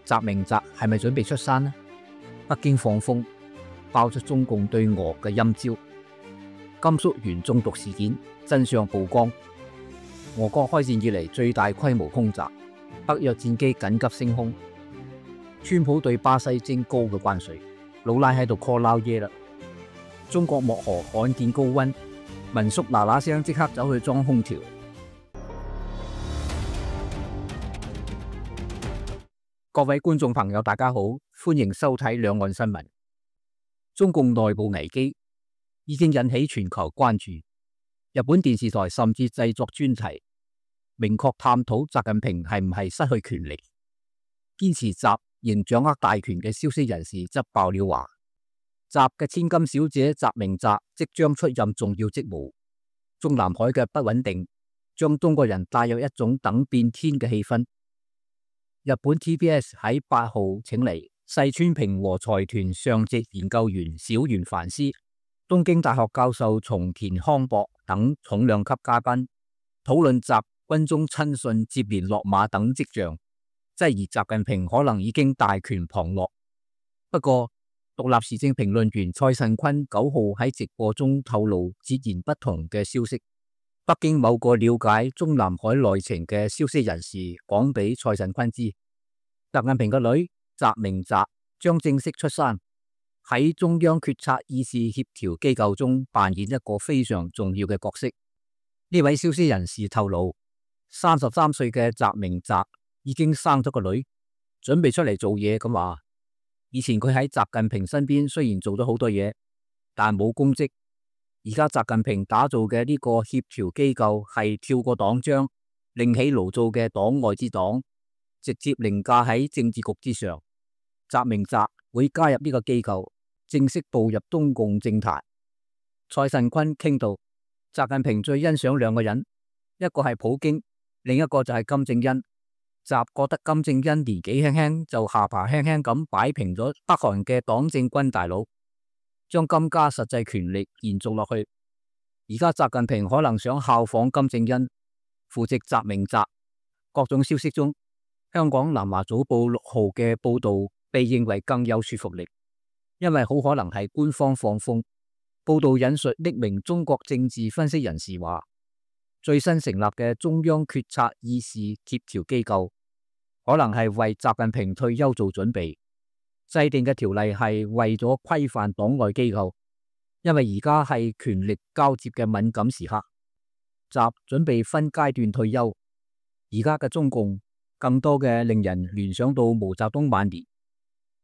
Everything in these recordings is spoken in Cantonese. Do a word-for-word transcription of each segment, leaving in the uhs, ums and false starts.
習明澤係咪準備出山呢？北京放風，爆出中共對俄嘅陰招。甘肅鉛中毒事件真相曝光，俄國開戰以嚟最大規模空襲，北約戰機緊急升空。川普對巴西徵高嘅關稅，老賴喺度 call 撈嘢啦。中國漠河罕見高溫，民宿嗱嗱聲即刻走去裝空調。各位觀眾朋友，大家好，歡迎收睇兩岸新聞。中共內部危機已經引起全球關注，日本電視台甚至製作專題，明確探討習近平係唔係失去權力。堅持習仍掌握大權嘅消息人士則爆料話，習嘅千金小姐習明澤即將出任重要職務。中南海嘅不穩定將中國人帶入一種等變天嘅氣氛。日本 T B S 喺八號請嚟細川平和財團上席研究員小原凡司、東京大學教授松田康博等重量級嘉賓，討論習軍中親信接連落馬等跡象，質疑習近平可能已經大權旁落。不過，獨立時政評論員蔡慎坤九號喺直播中透露截然不同嘅消息。北京某個了解中南海內情嘅消息人士講俾蔡慎坤知，習近平嘅女習明澤將正式出山，喺中央決策議事協調機構中扮演一個非常重要嘅角色。呢位消息人士透露，三十三歲嘅習明澤已經生咗個女，準備出嚟做嘢咁話。以前佢喺習近平身邊雖然做咗好多嘢，但冇公職。而家習近平打造嘅呢個協調機構係跳過黨章，另起爐灶嘅黨外之黨，直接凌駕喺政治局之上。習明澤會加入呢個機構，正式步入中共政壇。蔡慎坤傾到，習近平最欣賞兩個人，一個係普京，另一個就係金正恩。習覺得金正恩年紀輕輕就下巴輕輕咁擺平咗北韓嘅黨政軍大佬，將金家實際權力延續落去。而家習近平可能想效仿金正恩，扶植習明澤。各種消息中，香港南華早報六號嘅報道被認為更有說服力，因為好可能係官方放風。報道引述匿名中國政治分析人士話，最新成立嘅中央決策議事協調機構可能係為習近平退休做準備，制定嘅條例係為咗規範黨外機構，因為而家係權力交接嘅敏感時刻，習準備分階段退休。而家嘅中共更多嘅令人聯想到毛澤東晚年，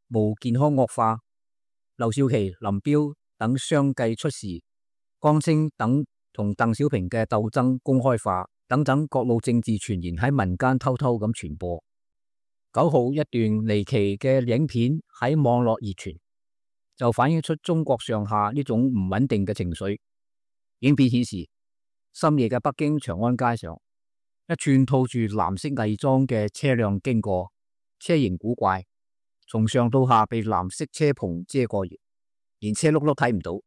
毛健康惡化，劉少奇、林彪等相繼出事，江青等同鄧小平嘅鬥爭公開化等等各路政治傳言喺民間偷偷咁傳播。九號一段離奇嘅影片喺網絡熱傳，就反映出中國上下呢種唔穩定嘅情緒。影片顯示，深夜嘅北京長安街上，一串套住藍色偽裝嘅車輛經過，車型古怪，從上到下被藍色車棚遮過，連車轆都睇唔到。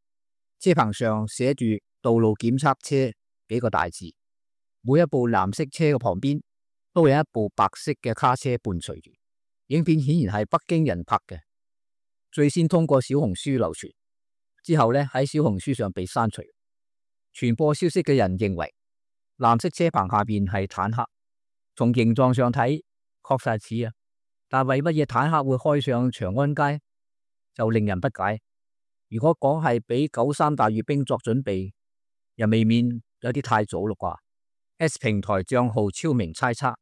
車棚上寫住道路檢測車幾個大字，每一部藍色車嘅旁邊都有一部白色嘅卡車伴隨住。影片顯然係北京人拍嘅，最先通過小紅書流傳，之後呢喺小紅書上被刪除。傳播消息嘅人認為藍色車棚下邊係坦克，從形狀上睇確實似啊，但為乜嘢坦克會開上長安街就令人不解。如果講係俾九三大閱兵作準備，又未免有啲太早嘞啩。S 平台賬號超明猜測，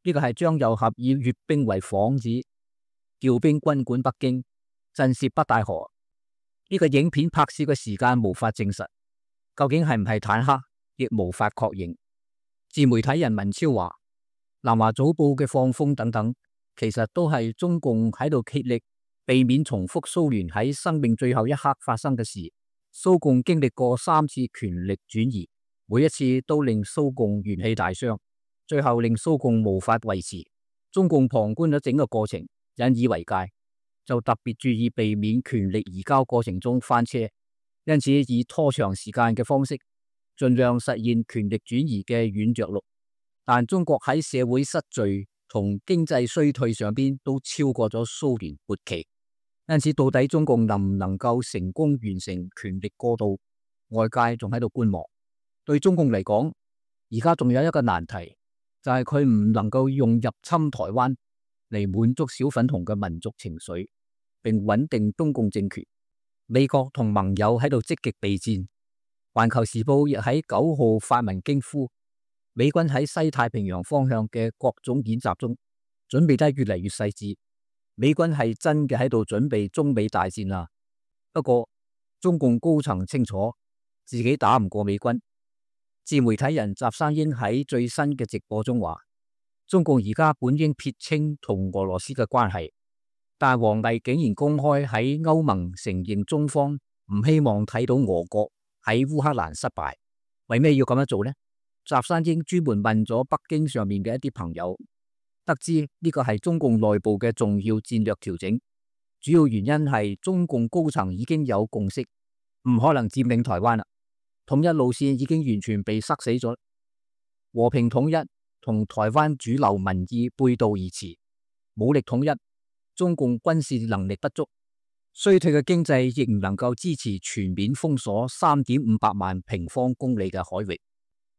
呢個係張又俠以閱兵為幌子，調兵軍管北京，震懾北戴河。呢個影片拍攝嘅時間無法證實，究竟係唔係坦克，亦無法確認。自媒體人文超話，南華早報嘅放風等等，其實都係中共喺度竭力避免重複蘇聯喺生命最後一刻發生嘅事。蘇共經歷過三次權力轉移，每一次都令蘇共元氣大傷，最後令蘇共無法維持。中共旁觀咗整個過程，引以為戒，就特別注意避免權力移交過程中翻車，因此以拖長時間嘅方式，盡量實現權力轉移嘅軟着陸。但中國喺社會失序同經濟衰退上邊都超過咗蘇聯末期。因此，到底中共能唔能夠成功完成權力過渡，外界仲喺度觀望。對中共嚟講，而家仲有一個難題，就係佢唔能夠用入侵台灣嚟滿足小粉紅嘅民族情緒，並穩定中共政權。美國同盟友喺度積極備戰。環球時報亦喺九號發文驚呼，美軍喺西太平洋方向嘅各種演習中準備得越嚟越細緻。美軍係真嘅喺度準備中美大戰啦。不過中共高層清楚自己打唔過美軍。自媒體人習山英喺最新嘅直播中話，中共而家本應撇清同俄羅斯嘅關係，但王毅竟然公開喺歐盟承認中方唔希望睇到俄國喺烏克蘭失敗。為咩要咁樣做呢？習山英專門問咗北京上面嘅一啲朋友，得知呢個係中共內部嘅重要戰略調整，主要原因係中共高層已經有共識，唔可能佔領台灣啦，統一路線已經完全被塞死咗，和平統一同台灣主流民意背道而馳，武力統一，中共軍事能力不足，衰退嘅經濟亦唔能夠支持全面封鎖三點五百萬平方公里嘅海域，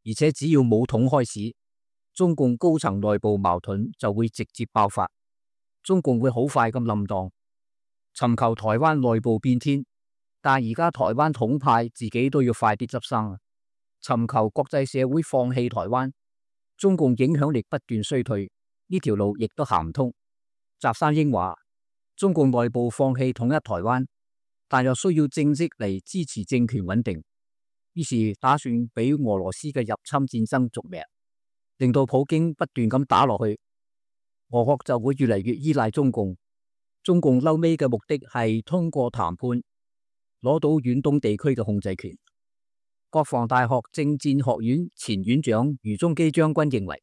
而且只要武統開始，中共高層內部矛盾就會直接爆發，中共會好快咁冧檔，尋求台灣內部變天。但而家台灣統派自己都要快啲執生，尋求國際社會放棄台灣，中共影響力不斷衰退，呢條路亦都行唔通。習山英話，中共內部放棄統一台灣，但又需要政績嚟支持政權穩定，於是打算俾俄羅斯嘅入侵戰爭續命，令到普京不斷咁打落去，俄國就會越嚟越依賴中共。中共嬲尾嘅目的係通過談判攞到遠東地區嘅控制權。國防大學政戰學院前院長余中基將軍認為，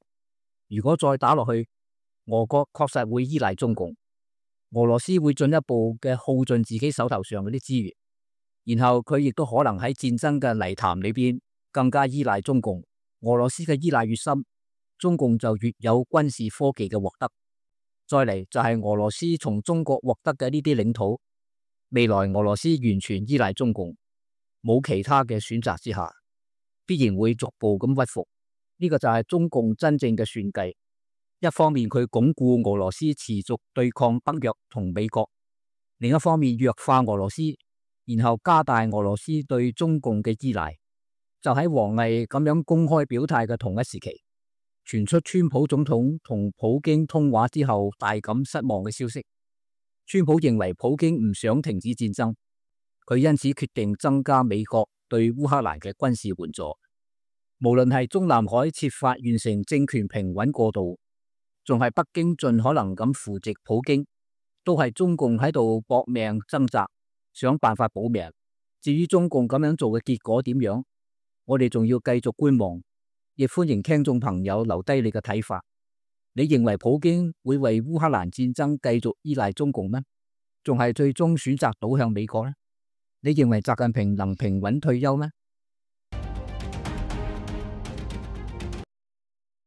如果再打落去，俄國確實會依賴中共，俄羅斯會進一步嘅耗盡自己手頭上嗰啲資源，然後佢亦都可能喺戰爭嘅泥潭裏邊更加依賴中共。俄羅斯嘅依賴越深，中共就越有軍事科技嘅獲得。再嚟就係俄羅斯從中國獲得嘅呢啲領土，未來俄羅斯完全依賴中共，冇其他嘅選擇之下，必然會逐步咁屈服。呢個就係中共真正嘅算計。一方面佢鞏固俄羅斯持續對抗北約同美國，另一方面弱化俄羅斯，然後加大俄羅斯對中共嘅依賴。就喺王毅咁樣公開表態嘅同一時期，傳出川普總統同普京通話之後大感失望嘅消息。川普認為普京唔想停止戰爭，佢因此決定增加美國對烏克蘭嘅軍事援助。無論係中南海設法完成政權平穩過渡，仲係北京盡可能咁扶植普京，都係中共喺度搏命掙扎，想辦法保命。至於中共咁樣做嘅結果點樣，我哋仲要繼續觀望，亦歡迎聽眾朋友留低你嘅睇法。你認為普京會為烏克蘭戰爭繼續依賴中共咩？仲係最終選擇倒向美國呢？你認為習近平能平穩退休咩？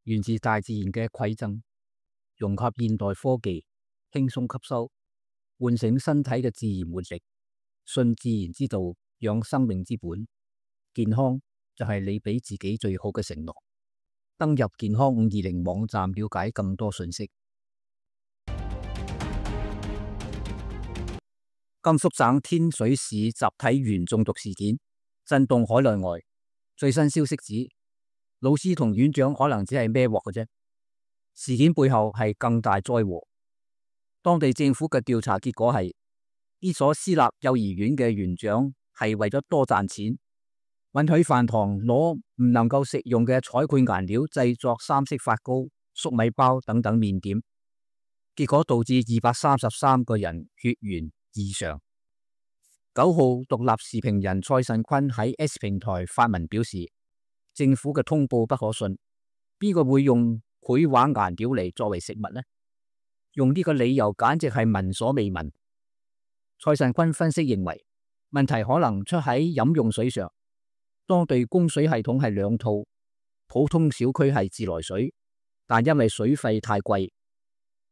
源自大自然嘅饋贈，融合現代科技，輕鬆吸收，喚醒身體嘅自然活力，信自然之道，養生命之本。健康就係你俾自己最好嘅承諾。登入健康五二零網站了解更多信息。甘肅省天水市集體鉛中毒事件震動海內外，最新消息指，老師同院長可能只係孭鑊嘅啫，事件背後係更大災禍。當地政府嘅調查結果係，呢所私立幼兒園嘅園長係為咗多賺錢，允許飯堂攞唔能夠食用嘅彩繪顏料製作三色發糕、粟米包等等麵點，結果導致二百三十三個人血鉛異常。九號獨立時評人蔡慎坤喺 S 平台發文表示，政府嘅通報不可信，邊個會用繪畫顏料嚟作為食物呢？用呢個理由簡直係聞所未聞。蔡慎坤分析認為，問題可能出喺飲用水上。當地供水系統係兩套，普通小區係自來水，但因為水費太貴，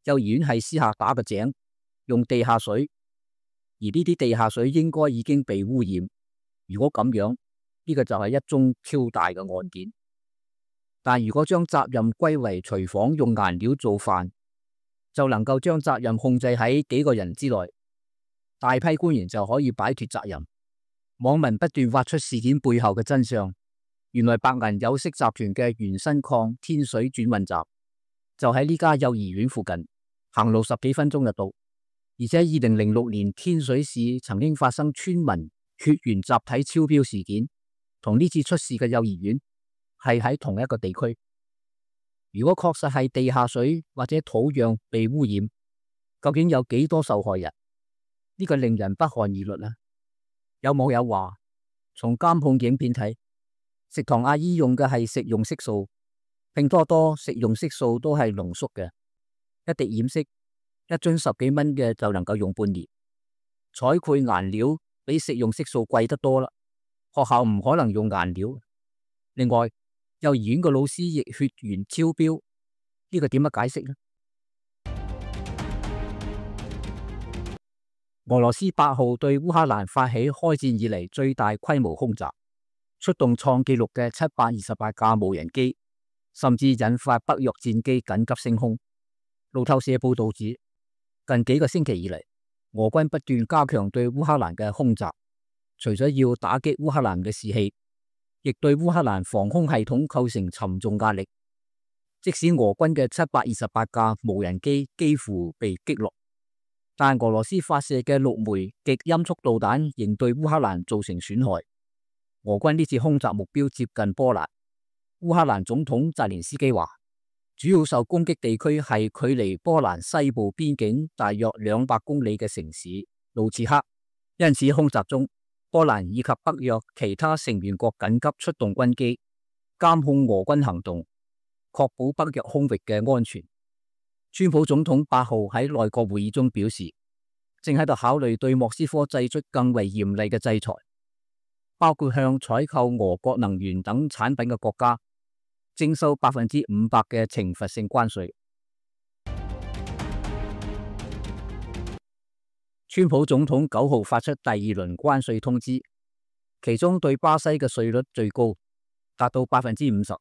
幼兒園係私下打個井，用地下水，而呢啲地下水應該已經被污染。如果咁樣，呢個就係一宗超大嘅案件。但如果將責任歸為廚房用顏料做飯，就能夠將責任控制喺幾個人之內，大批官員就可以擺脫責任。網民不斷挖出事件背後嘅真相，原來白銀有色集團嘅原新礦天水轉運站就喺呢家幼兒園附近，行路十幾分鐘就到。而且二零零六年天水市曾經發生村民血緣集體超標事件，同呢次出事嘅幼兒園係喺同一個地區。如果確實係地下水或者土壤被污染，究竟有幾多受害人？呢個令人不寒而慄啊！有網友話，從監控影片睇，食堂阿姨用嘅係食用色素，拼多多食用色素都係濃縮嘅，一滴染色一樽十幾蚊嘅就能夠用半年。彩繪顏料比食用色素貴得多啦，學校唔可能用顏料。另外，幼兒園個老師亦血緣超標，呢個點樣解釋呢？俄羅斯八號對烏克蘭發起開戰以嚟最大規模空襲，出動創紀錄嘅七百二十八架無人機，甚至引發北約戰機緊急升空。路透社報道指，近幾個星期以嚟，俄軍不斷加強對烏克蘭嘅空襲，除咗要打擊烏克蘭嘅士氣，亦對烏克蘭防空系統構成沉重壓力。即使俄軍嘅七百二十八架無人機幾乎被擊落，但俄羅斯發射嘅六枚極音速導彈仍對烏克蘭造成損害。俄軍呢次空襲目標接近波蘭。烏克蘭總統澤連斯基話，主要受攻擊地區係距離波蘭西部邊境大約兩百公里嘅城市盧茨克，因此空襲中，波蘭以及北約其他成員國緊急出動軍機，監控俄軍行動，確保北約空域嘅安全。川普總統八號喺內閣會議中表示，正喺度考慮對莫斯科祭出更為嚴厲嘅制裁，包括向採購俄國能源等產品嘅國家徵收百分之五百嘅懲罰性關稅。川普總統九號發出第二輪關稅通知，其中對巴西嘅稅率最高，達到百分之五十。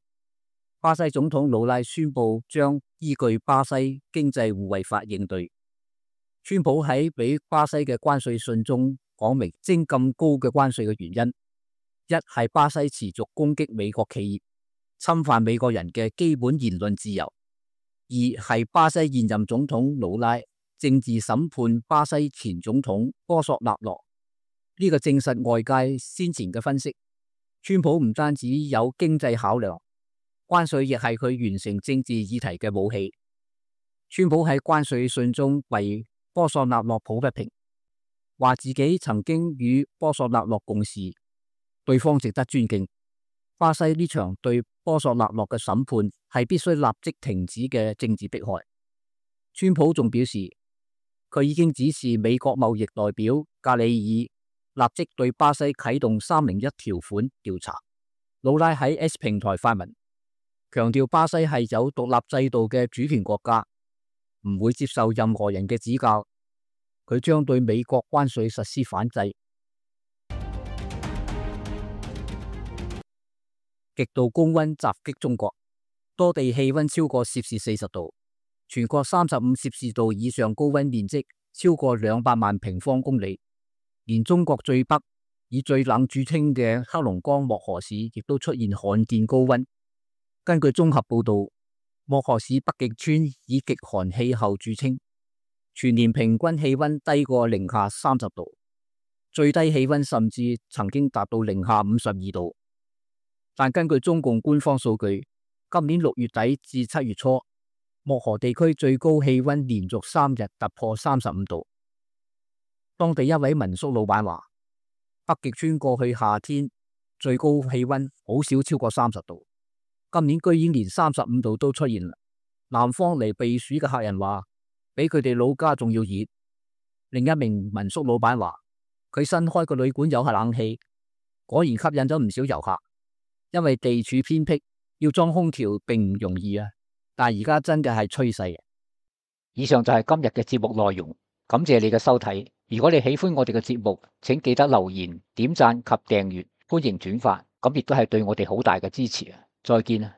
巴西總統魯拉宣布將依據巴西經濟互惠法應對。川普喺俾巴西嘅關稅信中講明徵咁高嘅關稅嘅原因：一係巴西持續攻擊美國企業，侵犯美國人嘅基本言論自由；二係巴西現任總統魯拉政治審判巴西前總統波索納羅。呢個證實外界先前嘅分析。川普唔單止有經濟考量，關稅亦係佢完成政治議題嘅武器。川普喺關稅信中為波索納羅抱不平，話自己曾經與波索納羅共事，對方值得尊敬。巴西呢場對波索納羅嘅審判係必須立即停止嘅政治迫害。川普仲表示，佢已經指示美國貿易代表格里爾立即對巴西啟動三零一條款調查。魯拉喺 X 平台發文，強調巴西係有獨立制度嘅主權國家，唔會接受任何人嘅指教。佢將對美國關稅實施反制。極度高溫襲擊中國，多地氣溫超過攝氏四十度，全國三十五攝氏度以上高溫面積超過兩百萬平方公里。連中國最北以最冷著稱嘅黑龍江漠河市亦都出現罕見高溫。根據綜合報道，漠河市北極村以極寒氣候著稱，全年平均氣溫低過零下三十度，最低氣溫甚至曾經達到零下五十二度。但根據中共官方數據，今年六月底至七月初，漠河地區最高氣溫連續三日突破三十五度。當地一位民宿老闆話，北極村過去夏天最高氣溫好少超過三十度，今年居然連三十五度都出現啦。南方嚟避暑嘅客人話，比佢哋老家仲要熱。另一名民宿老闆話，佢新開個旅館有下冷氣，果然吸引咗唔少遊客。因為地處偏僻，要裝空調並唔容易啊。但而家真嘅係趨勢。以上就係今日嘅節目內容，感謝你嘅收睇。如果你喜歡我哋嘅節目，請記得留言、點讚及訂閱，歡迎轉發，咁亦都係對我哋好大嘅支持啊！再見啊！